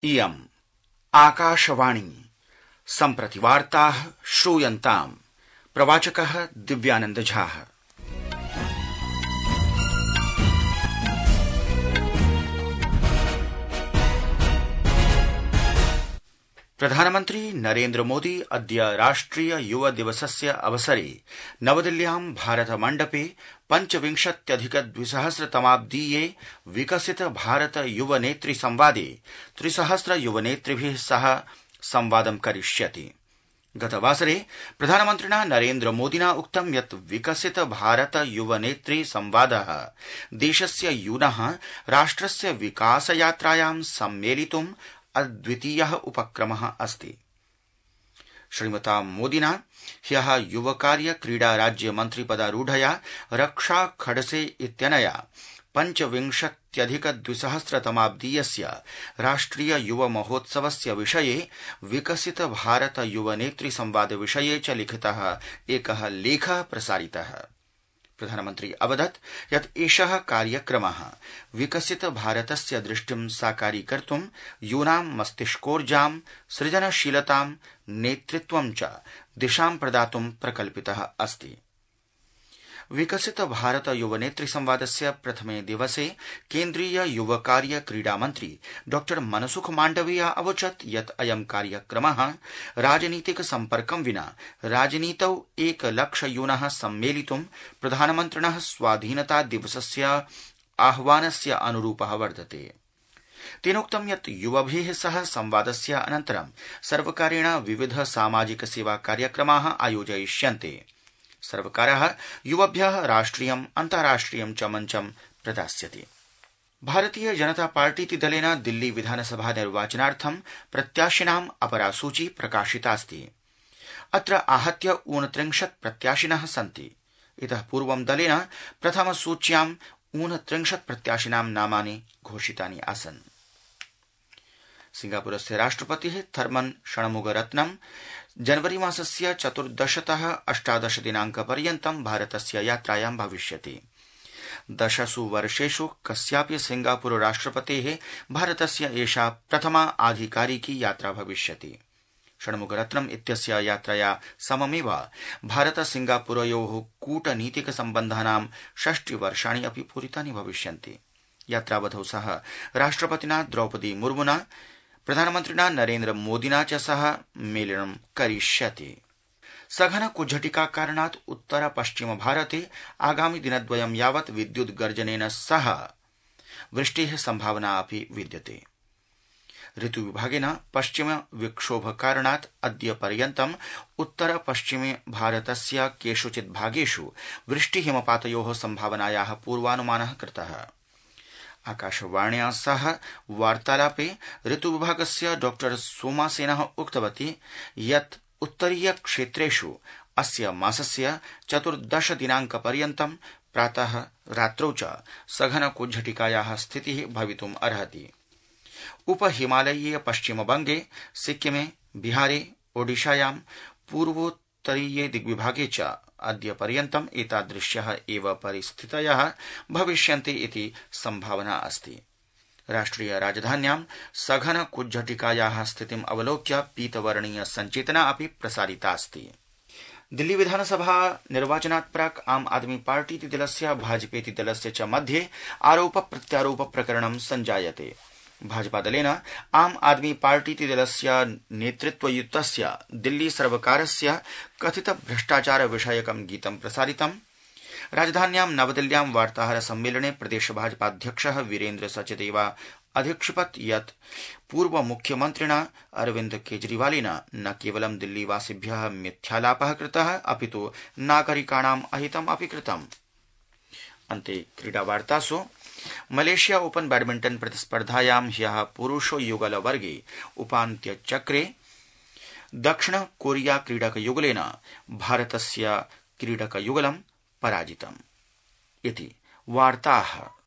इयम् आकाशवाणी सम्प्रति वार्ताः श्रूयन्ताम्। प्रवाचकः दिव्यानंद झा। प्रधानमन्त्री नरेन्द्र मोदी अद्य राष्ट्रिय युव दिवसस्य अवसरे नवदिल्ल्यां भारत मण्डपे 25,000-तमाब्दीये विकसित भारत युवनेत्री संवादे 300 युवनेतृभिः सह संवादं करिष्यति। गतवासरे प्रधानमन्त्रिणा नरेन्द्र मोदिना उक्तं यत् विकसित भारत युवनेत्री संवादः देशस्य यूनः राष्ट्रस्य विकास यात्रायां सम्मेलितुम् अद्वितीयः उपक्रमः अस्ति। श्रीमता मोदिना ह्यः युवकार्य क्रीडा राज्य मन्त्रिपदारूढया रक्षा खडसे इत्यनया 25,000-तमाब्दीयस्य राष्ट्रिय युव महोत्सवस्य विषये विकसित भारत युवनेत्री संवाद विषये च लिखितः एकः लेखः प्रसारितः। प्रधानमन्त्री अवदत् यत् एषः कार्यक्रमः विकसित भारतस्य दृष्टिं साकारीकर्तुं यूनां मस्तिष्कोर्जां, सृजनशीलतां, नेतृत्वं च दिशां प्रदातुं प्रकल्पितः अस्ति। विकसित भारत युवनेत्री संवादस्य प्रथमे दिवसे केन्द्रीय युवकार्य क्रीडामन्त्री डॉ मनसुख माण्डवीय अवोचत् यत् अयं कार्यक्रमः राजनीतिक सम्पर्कं विना राजनीतौ 1,00,000 यूनः सम्मेलितुं प्रधानमन्त्रिणः स्वाधीनता दिवसस्य आह्वानस्य अनुरूपः वर्तते। तेनोक्तं यत् युवभिः सह संवादस्य अनन्तरं सर्वकारेण विविध सामाजिक सेवा कार्यक्रमाः आयोजयिष्यन्ते। सर्वकारः युवभ्यः राष्ट्रियम् अन्ताराष्ट्रियं च मञ्चं प्रदास्यति। भारतीय जनता पार्टीति दलेन दिल्ली विधानसभा निर्वाचनार्थं प्रत्याशिनाम् अपरा सूची प्रकाशितास्ति। अत्र आहत्य 29 प्रत्याशिनः सन्ति। इतः पूर्वं दलेन प्रथमसूच्यां 29 प्रत्याशिनां नामानि घोषितानि आसन्। सिंगापुरस्य राष्ट्रपतिः थर्मन् षण्मुगरत्नं जनवरी मासस्य 14तः 18 दिनाङ्कपर्यन्तं भारतस्य यात्रायां भविष्यति। 10 वर्षेषु कस्यापि सिंगापुर राष्ट्रपतेः भारतस्य एषा प्रथमा आधिकारिकी यात्रा भविष्यति। षण्मुगरत्नम् इत्यस्य यात्रया सममेव भारत सिंगापुरयोः कूटनीतिक सम्बन्धानां 60 वर्षाणि अपि पूरितानि भविष्यन्ति। यात्रावधौ सह राष्ट्रपतिना द्रौपदी मुर्मुना प्रधानमन्त्रिणा नरेन्द्र मोदिना च सह मेलनं करिष्यति। सघन कुज्झटिका कारणात् उत्तर पश्चिम भारते आगामि दिनद्वयं यावत् विद्युत् गर्जनेन सह वृष्टेः सम्भावना अपि विद्यते। ऋतुविभागेन पश्चिम विक्षोभ कारणात् अद्य पर्यन्तम् उत्तर पश्चिमे भारतस्य केषुचित् भागेषु वृष्टि हिमपातयोः सम्भावनायाः पूर्वानुमानः कृतः। आकाशवाण्या सह वार्तालापे ऋतुविभागस्य डॉ सोमासेनः उक्तवती यत् उत्तरीय क्षेत्रेषु अस्य मासस्य 14 दिनाङ्कपर्यन्तं प्रातः रात्रौ च सघन कुज्झटिकायाः स्थितिः भवितुम् अर्हति। उपहिमालयीय पश्चिमबंगे, सिक्किमे, बिहारे, ओडिशायां, पूर्वोत्तरीये दिग्विभागे च अद्य पर्यन्तम् एतादृश्यः एव परिस्थितयः भविष्यन्ति इति सम्भावना अस्ति। राष्ट्रिय राजधान्यां सघन कुज्झटिकायाः स्थितिम् अवलोक्य पीतवर्णीय सञ्चेतना अपि प्रसारितास्ति। दिल्ली विधानसभा निर्वाचनात् प्राक् आम आदमी पार्टीति दलस्य भाजपेति दलस्य च मध्ये आरोप प्रत्यारोप प्रकरणं सञ्जायते। भाजपादलेन आम आदमी पार्टीति दलस्य नेतृत्वयुक्तस्य दिल्ली सर्वकारस्य कथित भ्रष्टाचार विषयकं गीतं प्रसारितम्। राजधान्यां नवदिल्ल्यां वार्ताहर सम्मेलने प्रदेश भाजपाध्यक्षः वीरेन्द्र सचदेवा अध्यक्षपत् यत् पूर्व मुख्यमन्त्रिणा अरविन्द केजरीवालेन न केवलं दिल्लीवासिभ्यः मिथ्यालापः कृतः अपितु नागरिकाणाम् अहितम् अपि कृतम्। अन्ते क्रीडावार्तासु मलेशिया ओपन बैडमिंटन प्रतिस्पर्धायां ह्यः पुरुष युगल वर्गे उपान्त्यचक्रे दक्षिण कोरिया क्रीडकयुगलेन भारतस्य क्रीडकयुगलं पराजितम्। इति वार्ताः।